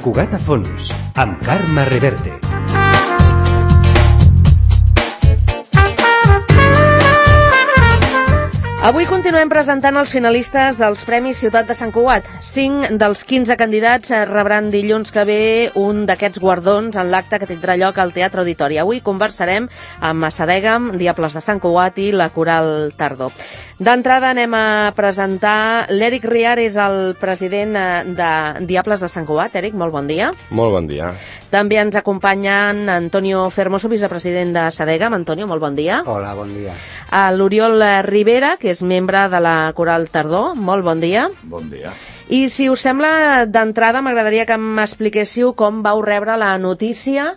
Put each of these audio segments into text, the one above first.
Cugat a fons, amb Carme Reverte. Avui continuem presentant els finalistes dels Premis Ciutat de Sant Cugat. 5 dels 15 candidats rebran dilluns que ve un d'aquests guardons en l'acte que tindrà lloc al Teatre Auditori. Avui conversarem amb Massadegam, Diables de Sant Cugat i la Coral Tardor. D'entrada anem a presentar l'Eric Riar, és el president de Diables de Sant Cugat. Eric, molt bon dia. Molt bon dia. També ens acompanyen Antonio Fermoso, vicepresident de Sadegam. Antonio, molt bon dia. Hola, bon dia. L'Oriol Rivera, que és membre de la Coral Tardor. Molt bon dia. Bon dia. I si us sembla, d'entrada m'agradaria que m'expliquéssiu com vau rebre la notícia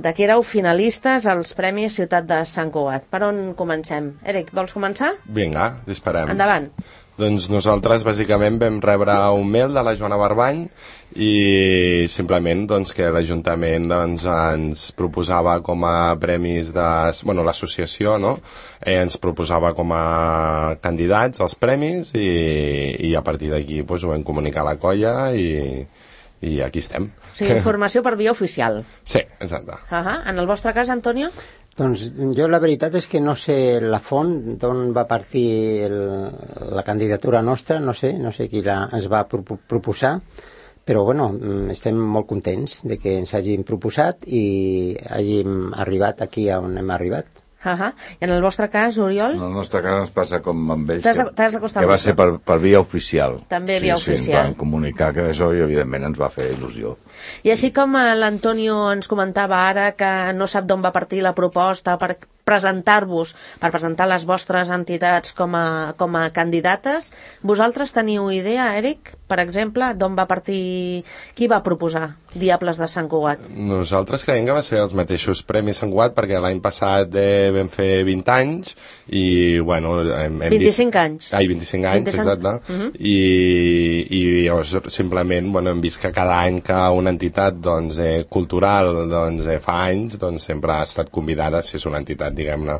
de que éreu finalistes als Premis Ciutat de Sant Cugat. Per on comencem? Eric, vols començar? Vinga, disparem. Endavant. Doncs nosaltres bàsicament vam rebre un mail de la Joana Barbany i simplement doncs, que l'Ajuntament doncs, ens proposava com a premis de... Bueno, l'associació, no? Ens proposava com a candidats als premis i a partir d'aquí doncs, ho vam comunicar a la colla i aquí estem. O sigui, informació per via oficial. Sí, exacte. En el vostre cas, Antonio? Doncs jo la veritat és que no sé la font d'on va partir la candidatura nostra, no sé qui ens va proposar, però bueno, estem molt contents de que ens hagin proposat i hàgim arribat aquí on hem arribat. I en el vostre cas, Oriol? En el nostre cas ens passa com amb ells, que va ser per via oficial. També via oficial. Sí, ens van comunicar que això i evidentment ens va fer il·lusió. I així com l'Antonio ens comentava ara que no sap d'on va partir la proposta per presentar-vos, per presentar les vostres entitats com a candidates, vosaltres teniu idea, Eric, per exemple, d'on va partir, qui va proposar Diables de Sant Cugat? Nosaltres creiem que va ser els mateixos Premis Sant Cugat perquè l'any passat vam fer 20 anys i, bueno... 25 anys. 25 anys, exacte. I llavors, simplement, bueno, hem vist que cada any que una entitat doncs, cultural doncs, fa anys, doncs sempre ha estat convidada, si és una entitat, diguem-ne,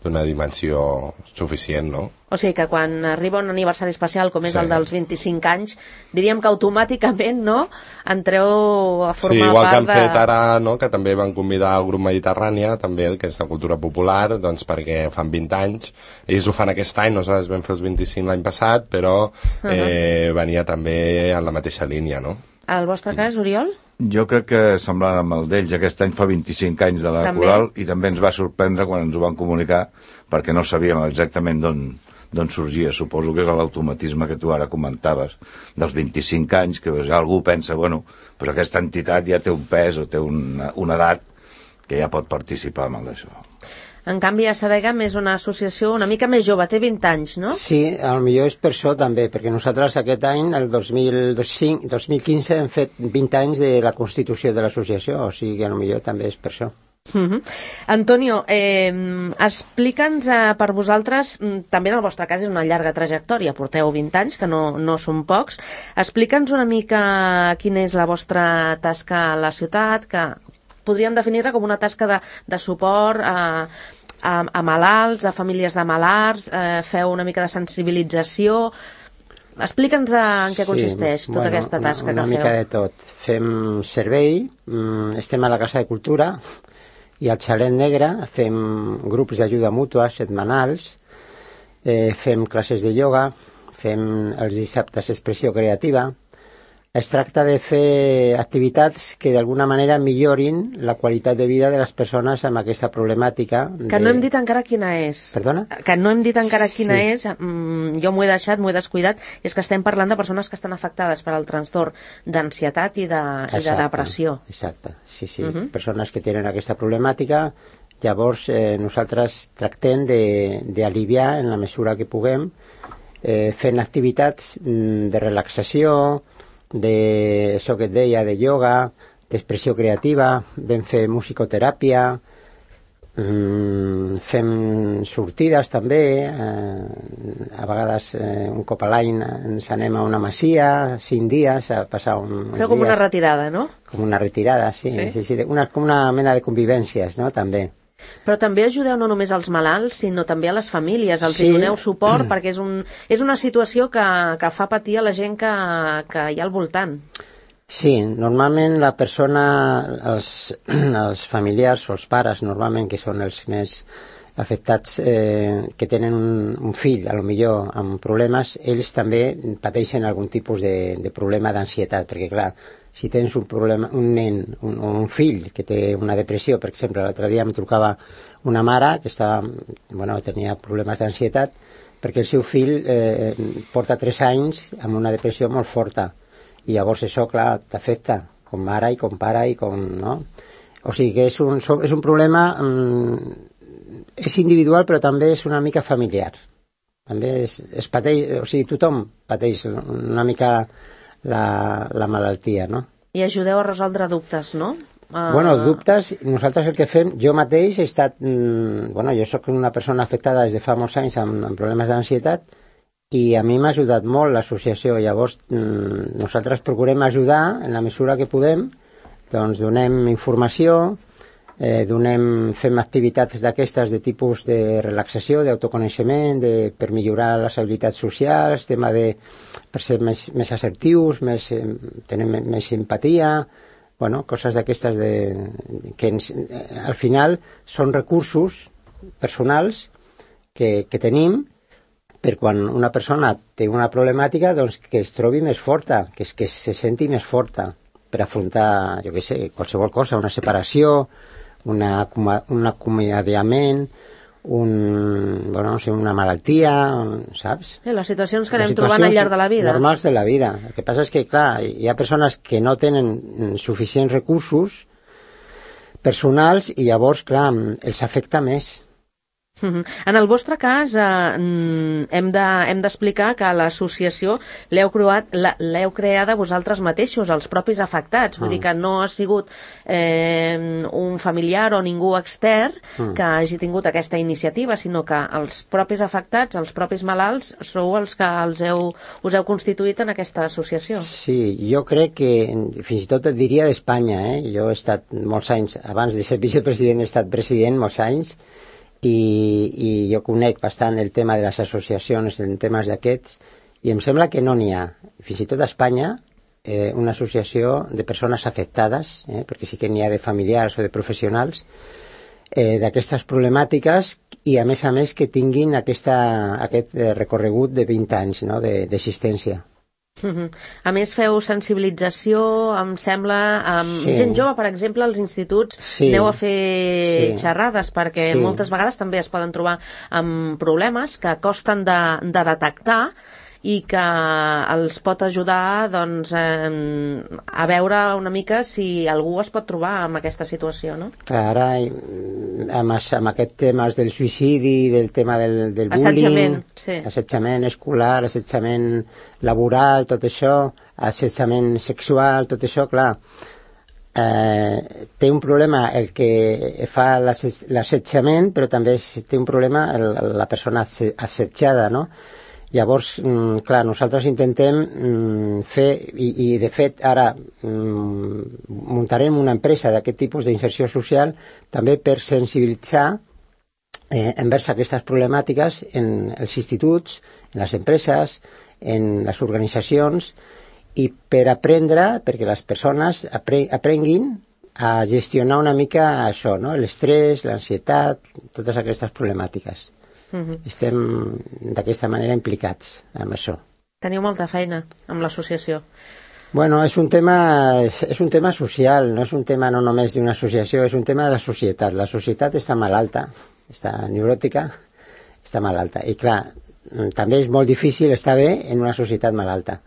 d'una dimensió suficient, no? O sigui que quan arriba un aniversari especial com és el dels 25 anys, diríem que automàticament, no?, entreu a formar part de... Sí, igual que han fet ara, no?, que també van convidar el grup Mediterrània, també, que és de cultura popular, doncs perquè fan 20 anys. Ells ho fan aquest any, nosaltres vam fer els 25 l'any passat, però venia també en la mateixa línia, no? Al vostre cas, Oriol? Jo crec que semblant amb el d'ells, aquest any fa 25 anys de la Coral i també ens va sorprendre quan ens ho van comunicar perquè no sabíem exactament d'on sorgia. Suposo que és l'automatisme que tu ara comentaves dels 25 anys, que ja algú pensa, bueno, però aquesta entitat ja té un pes o té una edat que ja pot participar en d'això. En canvi, Sadegam és una associació una mica més jove, té 20 anys, no? Sí, potser és per això també, perquè nosaltres aquest any, el 2015, hem fet 20 anys de la constitució de l'associació, o sigui que potser també és per això. Antonio, explica'ns per vosaltres, també en el vostre cas és una llarga trajectòria, porteu 20 anys, que no són pocs, explica'ns una mica quina és la vostra tasca a la ciutat, que podríem definir-la com una tasca de suport a malalts, a famílies de malalts, feu una mica de sensibilització. Explica'ns en què consisteix tota aquesta tasca que feu. Una mica de tot. Fem servei, estem a la Casa de Cultura i al Xalet Negre, fem grups d'ajuda mútua setmanals, fem classes de ioga, fem els dissabtes expressió creativa. Es tracta de fer activitats que d'alguna manera millorin la qualitat de vida de les persones amb aquesta problemàtica. Que no hem dit encara quina és. Perdona? Que no hem dit encara quina és, jo m'ho he deixat, m'ho he descuidat, i és que estem parlant de persones que estan afectades per al trastorn d'ansietat i de depressió. Exacte, sí. Persones que tenen aquesta problemàtica, llavors nosaltres tractem d'aliviar en la mesura que puguem, fent activitats de relaxació, d'això que et deia, de ioga, d'expressió creativa, vam fer musicoteràpia, fem sortides també, a vegades un cop a l'any ens anem a una masia, 5 dies, a passar uns dies. Feu com una retirada, no? Com una retirada, sí. Com una mena de convivències, no?, també. Però també ajudeu no només als malalts, sinó també a les famílies, els hi doneu suport, perquè és una situació que fa patir a la gent que hi ha al voltant. Sí, normalment la persona, els familiars o els pares, normalment, que són els més afectats, que tenen un fill, a lo millor amb problemes, ells també pateixen algun tipus de problema d'ansietat, perquè clar, si tens un problema, un nen, un fill que té una depressió, per exemple, l'altre dia em trucava una mare que tenia problemes d'ansietat perquè el seu fill porta 3 anys amb una depressió molt forta, i llavors això, clar, t'afecta com mare i com pare i com, no? O sigui que és un problema, és individual però també és una mica familiar. També es pateix, o sigui, tothom pateix una mica la malaltia, no? I ajudeu a resoldre dubtes, no? Dubtes, nosaltres el que fem, jo mateix he estat, jo sóc una persona afectada des de fa molts anys amb problemes d'ansietat, i a mi m'ha ajudat molt l'associació. Llavors nosaltres procurem ajudar en la mesura que podem, doncs donem informació, fem activitats d'aquestes de tipus de relaxació, d'autoconeixement, per millorar les habilitats socials, tema per ser més assertius, tenir més empatia, coses d'aquestes que al final són recursos personals que tenim per quan una persona té una problemàtica, doncs que es trobi més forta, que se senti més forta per afrontar, jo què sé, qualsevol cosa, una separació, un acomiadament, una malaltia, saps? Les situacions que anem trobant al llarg de la vida. Normals de la vida. El que passa és que, clar, hi ha persones que no tenen suficients recursos personals i llavors, clar, els afecta més. En el vostre cas hem d'explicar que l'associació l'heu creada vosaltres mateixos, els propis afectats, vull dir que no ha sigut un familiar o ningú extern que hagi tingut aquesta iniciativa, sinó que els propis afectats, els propis malalts, sou els que us heu constituït en aquesta associació. Sí, jo crec que fins i tot et diria d'Espanya, jo he estat molts anys, abans de ser vicepresident he estat president molts anys, i jo conec bastant el tema de les associacions en temes d'aquests, i em sembla que no n'hi ha, fins i tot a Espanya, una associació de persones afectades, perquè sí que n'hi ha de familiars o de professionals, d'aquestes problemàtiques, i a més que tinguin aquest recorregut de 20 anys, no?, d'existència. A més feu sensibilització, em sembla, amb gent jove, per exemple, als instituts, aneu a fer xerrades, perquè moltes vegades també es poden trobar amb problemes que costen de detectar i que els pot ajudar doncs, a veure una mica si algú es pot trobar en aquesta situació, no? Clar, ara amb aquest tema del suïcidi, del tema del bullying, assetjament escolar, assetjament laboral, tot això, assetjament sexual, tot això, clar, té un problema el que fa l'assetjament, però també té un problema la persona assetjada, no? Llavors, clar, nosaltres intentem fer, i de fet ara muntarem una empresa d'aquest tipus d'inserció social també per sensibilitzar envers aquestes problemàtiques en els instituts, en les empreses, en les organitzacions, i per aprendre, perquè les persones aprenguin a gestionar una mica això, no? L'estrès, l'ansietat, totes aquestes problemàtiques. Estem d'aquesta manera implicats amb això. Teniu molta feina amb l'associació. Bueno, és un tema social, no és un tema no només d'una associació, és un tema de la societat. La societat està malalta, està neuròtica, està malalta. I clar, també és molt difícil estar bé en una societat malalta.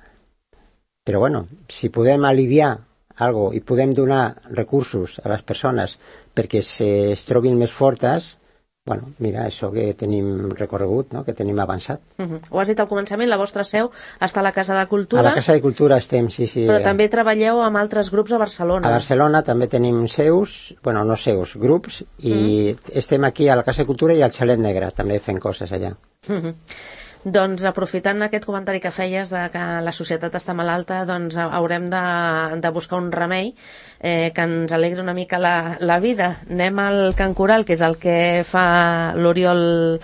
Però bueno, si podem aliviar alguna cosa i podem donar recursos a les persones perquè es trobin més fortes, bueno, mira, això que tenim recorregut, no?, que tenim avançat. Ho has dit al començament, la vostra seu està a la Casa de Cultura. A la Casa de Cultura estem, sí. Però també treballeu amb altres grups a Barcelona. A Barcelona també tenim grups, i estem aquí a la Casa de Cultura i al Xalet Negre, també fent coses allà. Doncs aprofitant aquest comentari que feies de que la societat està malalta, doncs haurem de buscar un remei que ens alegri una mica la vida. Anem al cant coral, que és el que fa l'Oriol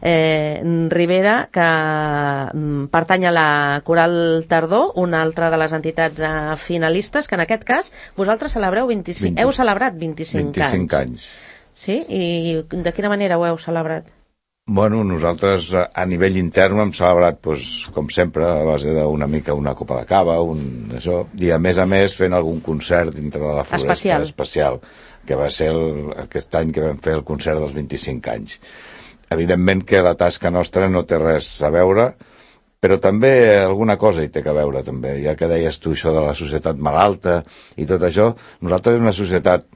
Rivera, que pertany a la Coral Tardor, una altra de les entitats finalistes, que en aquest cas vosaltres celebreu 25, heu celebrat 25 anys. Sí? I de quina manera ho heu celebrat? Bueno, nosaltres a nivell intern hem celebrat, com sempre, a base d'una mica una copa de cava, això, i a més fent algun concert dintre de la Floresta especial, que va ser aquest any que vam fer el concert dels 25 anys. Evidentment que la tasca nostra no té res a veure, però també alguna cosa hi té que veure, també. Ja que deies tu això de la societat malalta i tot això, nosaltres és una societat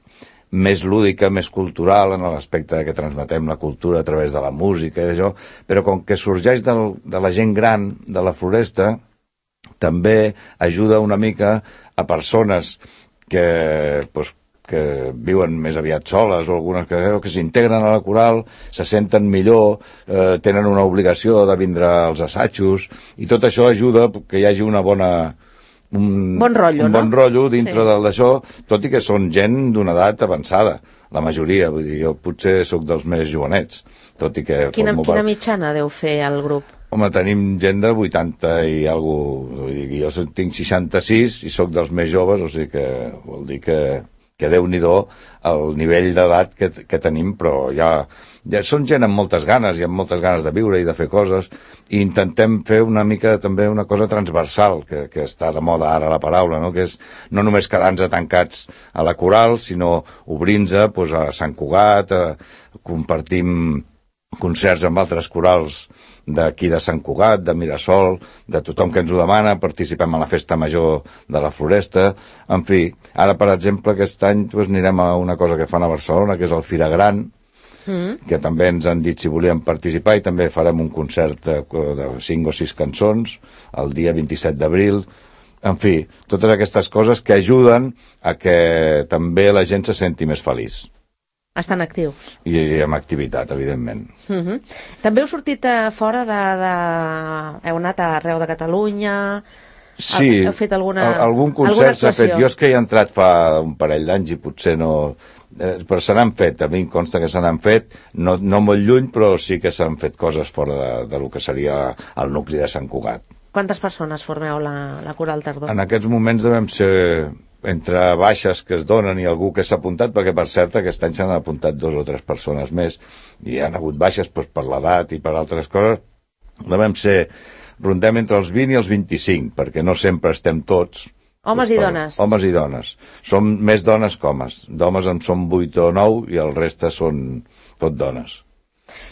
més lúdica, més cultural, en l'aspecte que transmetem la cultura a través de la música i d'això, però com que sorgeix de la gent gran de la Floresta, també ajuda una mica a persones que viuen més aviat soles o algunes que s'integren a la coral, se senten millor, tenen una obligació de vindre als assajos, i tot això ajuda que hi hagi un bon rotllo dintre d'això, tot i que són gent d'una edat avançada, la majoria, vull dir, jo potser sóc dels més jovenets, tot i que... Quina mitjana deu fer el grup? Home, tenim gent de 80 i alguna cosa, jo tinc 66 i sóc dels més joves, o sigui que vol dir que Déu-n'hi-do el nivell d'edat que tenim, però ja són gent amb moltes ganes i amb moltes ganes de viure i de fer coses, i intentem fer una mica també una cosa transversal, que està de moda ara la paraula, no? Que és no només quedar-nos tancats a la coral, sinó obrir-nos a Sant Cugat, compartim concerts amb altres corals d'aquí de Sant Cugat, de Mirasol, de tothom que ens ho demana, participem a la Festa Major de la Floresta, en fi, ara per exemple aquest any anirem a una cosa que fan a Barcelona, que és el Fira Gran, que també ens han dit si volíem participar, i també farem un concert de 5 o 6 cançons el dia 27 d'abril, en fi, totes aquestes coses que ajuden a que també la gent se senti més feliç. Estan actius. I amb activitat, evidentment. També heu sortit fora heu anat arreu de Catalunya? Sí, heu fet algun concert s'ha fet. Jo és que hi he entrat fa un parell d'anys i potser no... però se n'han fet, a mi em consta que se n'han fet, no molt lluny, però sí que s'han fet coses fora de lo que seria el nucli de Sant Cugat. Quantes persones formeu la Coral Tardor? En aquests moments devem ser entre baixes que es donen i algú que s'ha apuntat, perquè per cert aquest any s'han apuntat 2 o 3 persones més i han hagut baixes per l'edat i per altres coses, rondem entre els 20 i els 25, perquè no sempre estem tots. Homes i dones. Homes i dones. Som més dones que homes. D'homes en som 8 o 9 i el reste són tot dones.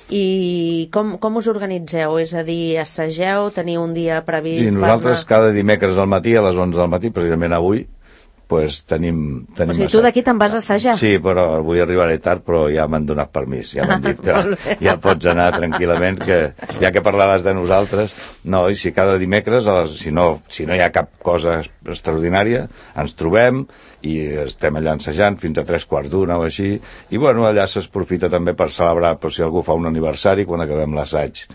I com us organitzeu? És a dir, assageu, teniu un dia previst? Sí, nosaltres cada dimecres al matí, a les 11 del matí, precisament avui, tenim o sigui, tu d'aquí te'n vas a assajar? Sí, però avui arribaré tard, però ja m'han donat permís, ja m'han dit ja pots anar tranquil·lament, que ja que parlaràs de nosaltres. No, i si cada dimecres, si no hi ha cap cosa extraordinària, ens trobem i estem allà ensajant fins a 3:15 o així, i bueno, allà s'aprofita també per celebrar, però si algú fa un aniversari, quan acabem l'assaig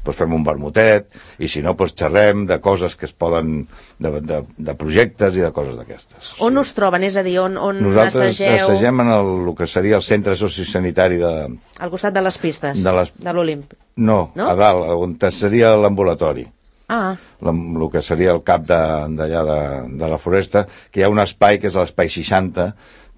fem un vermutet, i si no xerrem de coses que es poden, de projectes i de coses d'aquestes. On us troben? És a dir, on nosaltres assageu? Nosaltres assagem en el que seria el centre sociosanitari al costat de les pistes, de l'Olimp. No, a dalt, on seria l'ambulatori. El que seria el cap d'allà de la Floresta, que hi ha un espai que és l'espai 60,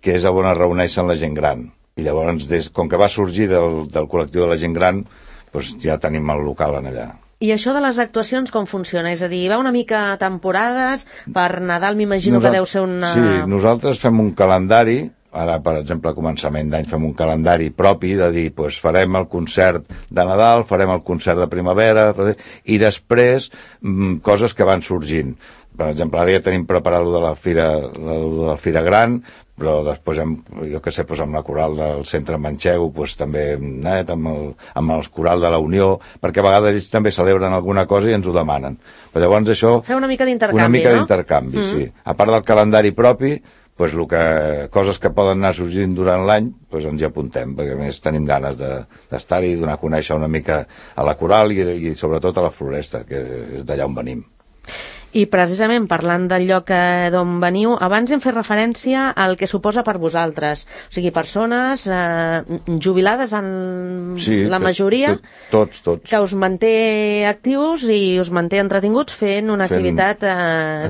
que és on es reuneixen la gent gran. I llavors, com que va sorgir del col·lectiu de la gent gran, doncs ja tenim el local en allà. I això de les actuacions com funciona? És a dir, va una mica a temporades, per Nadal m'imagino que deu ser una... Sí, nosaltres fem un calendari, ara per exemple a començament d'any fem un calendari propi de dir, doncs farem el concert de Nadal, farem el concert de primavera, i després coses que van sorgint. Per exemple, ara ja tenim preparat el de la Fira Gran, però després, jo què sé, amb la coral del centre Manxego, també amb el coral de la Unió, perquè a vegades ells també celebren alguna cosa i ens ho demanen. Però llavors això... Fer una mica d'intercanvi, no? Una mica d'intercanvi, sí. A part del calendari propi, coses que poden anar sorgint durant l'any, ens hi apuntem, perquè a més tenim ganes d'estar-hi, donar a conèixer una mica a la coral i sobretot a la Floresta, que és d'allà on venim. I precisament parlant del lloc d'on veniu, abans hem fet referència al que suposa per vosaltres, o sigui, persones jubilades en la majoria, tots, que us manté actius i us manté entretinguts fent una activitat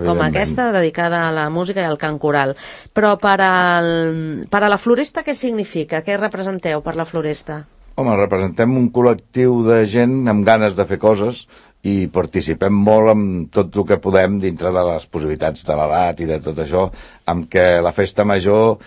com aquesta, dedicada a la música i al cant coral. Però per a la Floresta què significa? Què representeu per la Floresta? Home, representem un col·lectiu de gent amb ganes de fer coses i participem molt amb tot el que podem dintre de les possibilitats de l'edat i de tot això, amb que la festa major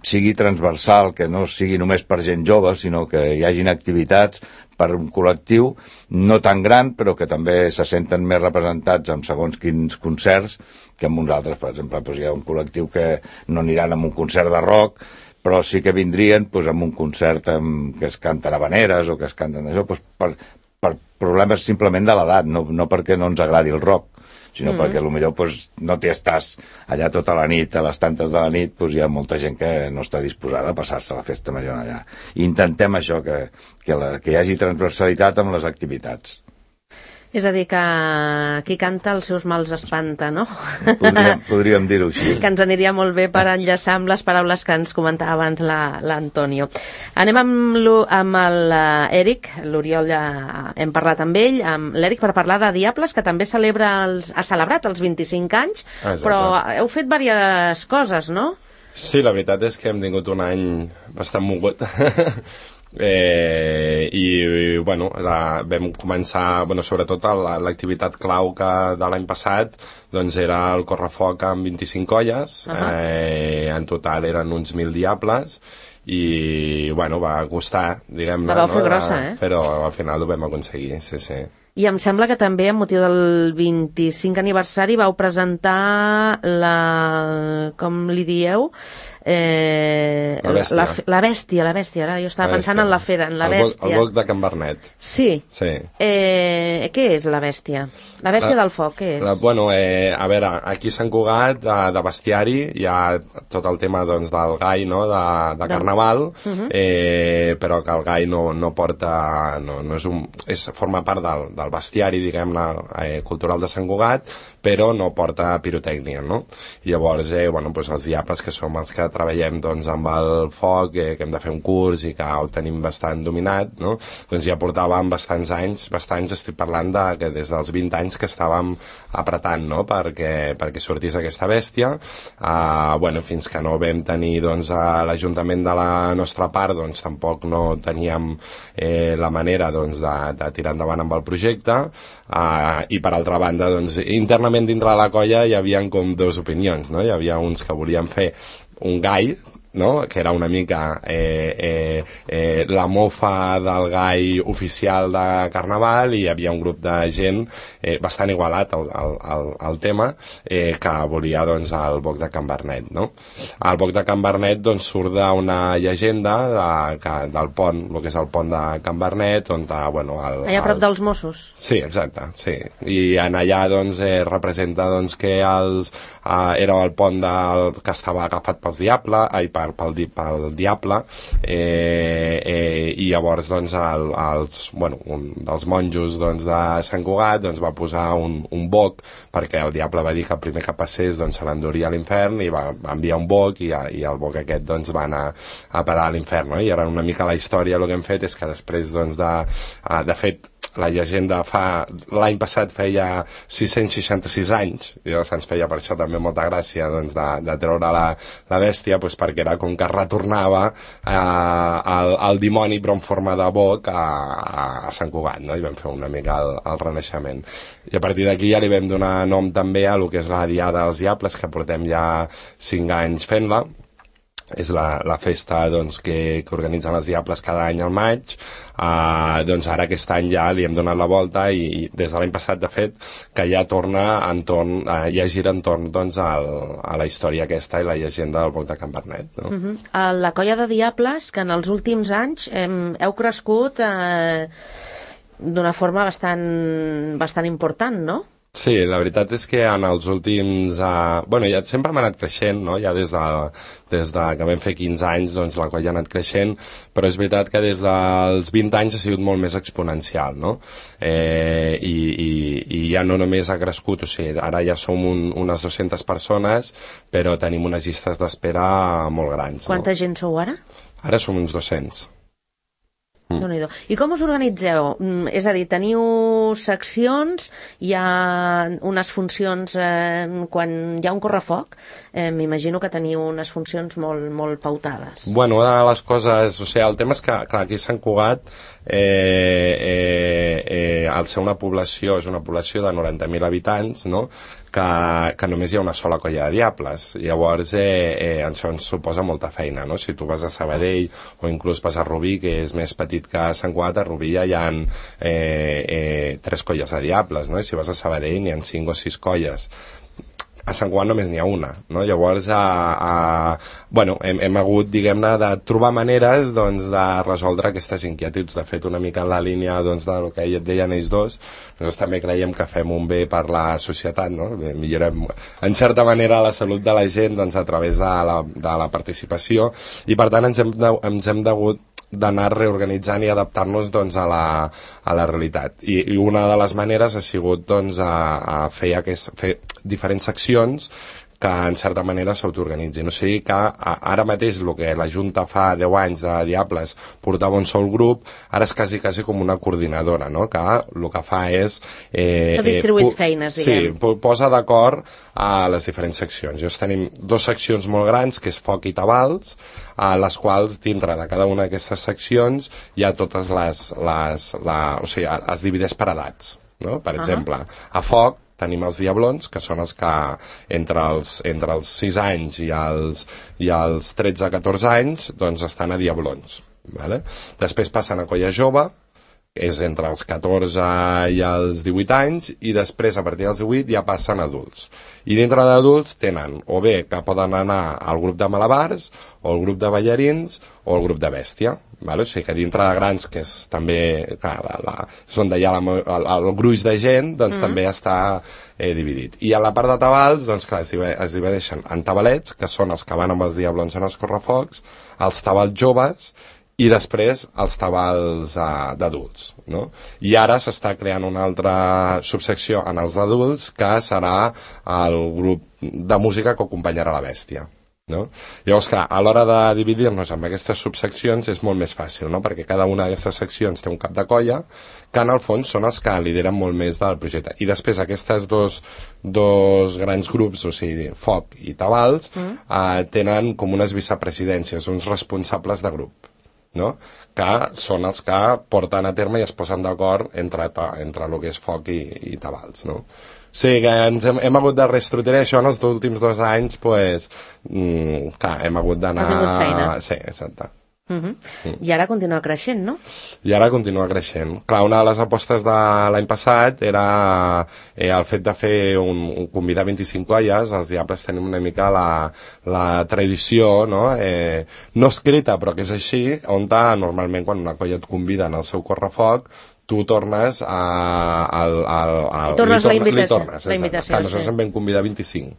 sigui transversal, que no sigui només per gent jove, sinó que hi hagin activitats per un col·lectiu no tan gran, però que també se senten més representats amb segons quins concerts que amb uns altres. Per exemple, hi ha un col·lectiu que no aniran a un concert de rock, però sí que vindrien amb un concert que es canten habaneres o que es canten això, per problemes simplement de l'edat, no perquè no ens agradi el rock, sinó perquè potser no t'hi estàs allà tota la nit, a les tantes de la nit, hi ha molta gent que no està disposada a passar-se la festa major allà. I intentem això, que hi hagi transversalitat amb les activitats. És a dir, que qui canta els seus mals espanta, no? Podríem dir-ho així. Que ens aniria molt bé per enllaçar amb les paraules que ens comentava abans l'Antonio. Anem amb l'Eric, l'Oriol ja hem parlat amb ell, amb l'Eric per parlar de Diables, que també ha celebrat els 25 anys, però heu fet diverses coses, no? Sí, la veritat és que hem tingut un any bastant mogut. I bueno, vam començar, sobretot l'activitat clau de l'any passat doncs era el correfoc amb 25 colles, en total eren uns 1.000 diables i va costar, diguem-ne, la vau fer grossa, però al final ho vam aconseguir, sí. I em sembla que també, amb motiu del 25 aniversari, vau presentar com li dieu? La bèstia, ara jo estava pensant en la fera, en la bèstia. El boc de Can Bernet. Sí. Què és la bèstia? La bèstia del foc, què és? A veure, aquí a Sant Cugat, de bestiari, hi ha tot el tema del gai, no?, de carnaval, però que el gai no porta, forma part del bestiari, diguem-ne, cultural de Sant Cugat, però no porta pirotècnia, no? Llavors, els diables, que som els que treballem amb el foc, que hem de fer un curs i que ho tenim bastant dominat, no? Doncs ja portàvem bastants anys, estic parlant que des dels 20 anys que estàvem apretant, no?, perquè sortís aquesta bèstia. Fins que no vam tenir a l'Ajuntament de la nostra part, tampoc no teníem la manera de tirar endavant amb el projecte, i per altra banda, internament dintre de la colla hi havia com dues opinions, no? Hi havia uns que volien fer un gai, no?, que era una mica la mofa del gai oficial de Carnaval, i hi havia un grup de gent bastant igualat al tema, que volia el boc de Can Bernet, no? El boc de Can Bernet surt d'una llegenda del pont, el que és el pont de Can Bernet, on allà a prop dels Mossos. Sí, exacte, sí. I en allà representa que era el pont que estava agafat pels diables, pel diable, i llavors un dels monjos de Sant Cugat va posar un boc, perquè el diable va dir que el primer que passés se l'enduria a l'infern, i va enviar un boc, i el boc aquest va anar a parar a l'infern, no? I ara una mica la història el que hem fet és que després de fet la llegenda l'any passat feia 666 anys, i se'ns feia per això també molta gràcia de treure la bèstia, perquè era com que retornava el dimoni però en forma de boc a Sant Cugat, no? I vam fer una mica el renaixement, i a partir d'aquí ja li vam donar nom també a el que és la Diada dels Diables, que portem ja 5 anys fent-la. És la festa que organitzen els Diables cada any al maig. Ara aquest any ja li hem donat la volta, i des de l'any passat, de fet, que ja torna ja gira entorn a la història aquesta i la llegenda del boc de Can Bernet, no? La colla de Diables, que en els últims anys heu crescut d'una forma bastant important, no? Sí, la veritat és que en els últims... bueno, ja sempre hem anat creixent, no? Ja des de que vam fer 15 anys, doncs la colla ha anat creixent, però és veritat que des dels 20 anys ha sigut molt més exponencial, no? I ja no només ha crescut, o sigui, ara ja som unes 200 persones, però tenim unes llistes d'espera molt grans. Quanta gent sou ara? Ara som uns 200. Déu-n'hi-do. I com us organitzeu? És a dir, teniu seccions, hi ha unes funcions quan hi ha un correfoc, m'imagino que teniu unes funcions molt, molt pautades. Bueno, una de les coses, o sigui, el tema és que, clar, aquí a Sant Cugat, al ser una població, és una població de 90.000 habitants, no?, que només hi ha una sola colla de diables. Llavors això ens suposa molta feina, no? Si tu vas a Sabadell o inclús vas a Rubí, que és més petit que Sant Cugat, a Rubí ja hi ha 3 colles de diables, no? I si vas a Sabadell n'hi ha 5 o 6 colles. A Sant Cugat només n'hi ha una, no? Llavors bueno, hem hagut, diguem-ne, de trobar maneres, doncs, de resoldre aquestes inquietuds. De fet, una mica en la línia, doncs, del que et deien ells dos, nosaltres també creiem que fem un bé per la societat, no? Millorem en certa manera la salut de la gent, doncs, a través de la participació, i per tant ens hem degut d'anar reorganitzant i adaptar-nos, doncs, a la realitat. I una de les maneres ha sigut, doncs, a fer diferents seccions que en certa manera s'autoorganitzin. O sigui que ara mateix el que la Junta fa 10 anys de Diables portava un sol grup, ara és quasi com una coordinadora, no?, que el que fa és... que distribuït feines, diguem. Sí, posa d'acord a les diferents seccions. Llavors tenim 2 seccions molt grans, que és Foc i Tabals, a les quals dintre de cada una d'aquestes seccions hi ha totes o sigui, es divideix per edats, no? Per exemple, a Foc tenim els Diablons, que són els que entre els 6 anys i els 13-14 anys, doncs estan a Diablons, vale? Després passen a Colla Jove, és entre els 14 i els 18 anys, i després a partir dels 18 ja passen a adults. I dintre d'adults tenen o bé que poden anar al grup de malabars, o al grup de ballarins, o al grup de bèstia, vale? O sigui que dintre de grans, que és també és on hi ha el gruix de gent, doncs també està dividit. I a la part de tabals, doncs clar, es divideixen en tabalets, que són els que van amb els Diablons en els correfocs, els tabals joves, i després els tabals d'adults, no? I ara s'està creant una altra subsecció en els d'adults, que serà el grup de música que acompanyarà la bèstia, no? Llavors, clar, a l'hora de dividir-nos en aquestes subseccions és molt més fàcil, no? Perquè cada una d'aquestes seccions té un cap de colla, que en el fons són els que lideren molt més del projecte. I després aquests dos grans grups, o sigui, Foc i Tabals, tenen com unes vicepresidències, uns responsables de grup, no? Que són els que porten a terme i es posen d'acord entre el que és Foc i Tabals, no? O sigui que hem hagut de reestructurar això en els últims 2 anys, pues, clar, hem hagut d'anar... Ha tingut feina. Sí, exacte. I ara continua creixent, no? I ara continua creixent. Clar, una de les apostes de l'any passat era el fet de fer convidar 25 colles. Els Diables tenim una mica la tradició, no? No escrita, però que és així, on normalment quan una colla et convida en el seu correfoc, tu tornes li tornes la invitació. Clar, nosaltres en vam convidar 25.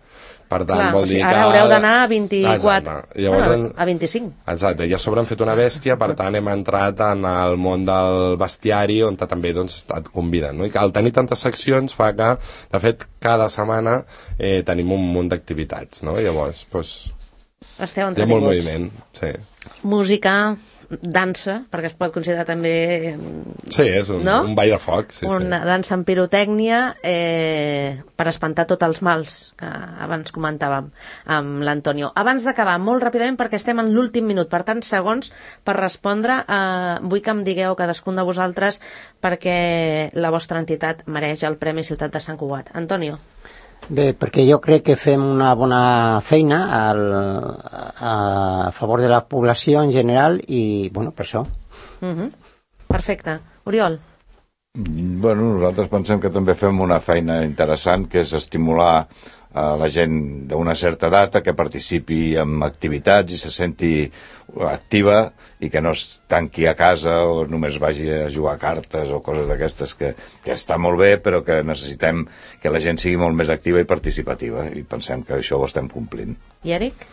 Per tant, clar, vol dir ara haureu d'anar a 24. Llavors, a 25. Exacte, i a sobre hem fet una bèstia, per tant hem entrat en el món del bestiari, on també, doncs, et conviden, no? I al tenir tantes seccions fa que, de fet, cada setmana tenim un munt d'activitats, no? Llavors, doncs, esteu hi ha molt moviment, sí. Música, dansa, perquè es pot considerar també... Sí, és un ball de foc. Sí, una dansa amb pirotècnia per espantar tots els mals que abans comentàvem amb l'Antonio. Abans d'acabar, molt ràpidament, perquè estem en l'últim minut, per tant, segons per respondre, vull que em digueu cadascun de vosaltres perquè la vostra entitat mereix el Premi Ciutat de Sant Cugat. Antonio. Bé, perquè jo crec que fem una bona feina a favor de la població en general i, bueno, per això. Perfecte. Oriol? Bueno, nosaltres pensem que també fem una feina interessant, que és estimular la gent d'una certa edat que participi en activitats i se senti activa i que no es tanqui a casa o només vagi a jugar a cartes o coses d'aquestes que està molt bé, però que necessitem que la gent sigui molt més activa i participativa, i pensem que això ho estem complint. I Eric?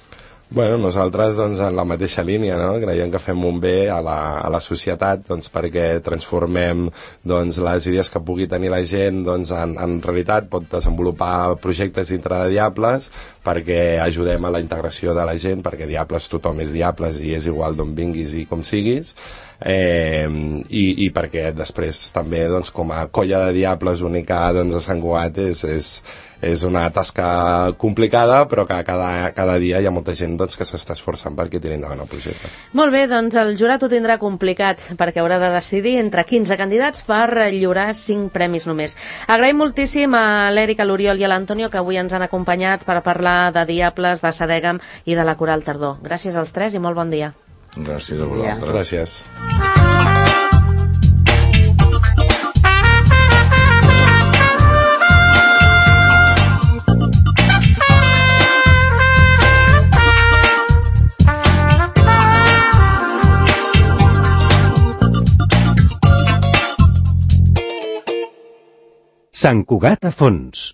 Bueno, nosaltres doncs, en la mateixa línia, no? Creiem que fem un bé a la societat, doncs, perquè transformem doncs, les idees que pugui tenir la gent doncs, en realitat. Pot desenvolupar projectes dintre de Diables perquè ajudem a la integració de la gent, perquè Diables tothom és Diables i és igual d'on vinguis i com siguis, i perquè després també doncs, com a colla de Diables única doncs, a Sant Cugat és una tasca complicada, però que cada dia hi ha molta gent doncs, que s'està esforçant perquè tiri endavant el projecte. Molt bé, doncs el jurat ho tindrà complicat perquè haurà de decidir entre 15 candidats per lliurar 5 premis només. Agraïm moltíssim a l'Eric, a l'Oriol i a l'Antonio que avui ens han acompanyat per parlar de Diables, de Sadegam i de la Coral Tardor. Gràcies als tres i molt bon dia. Gràcies a vosaltres. Gràcies. Sant Cugat a fons.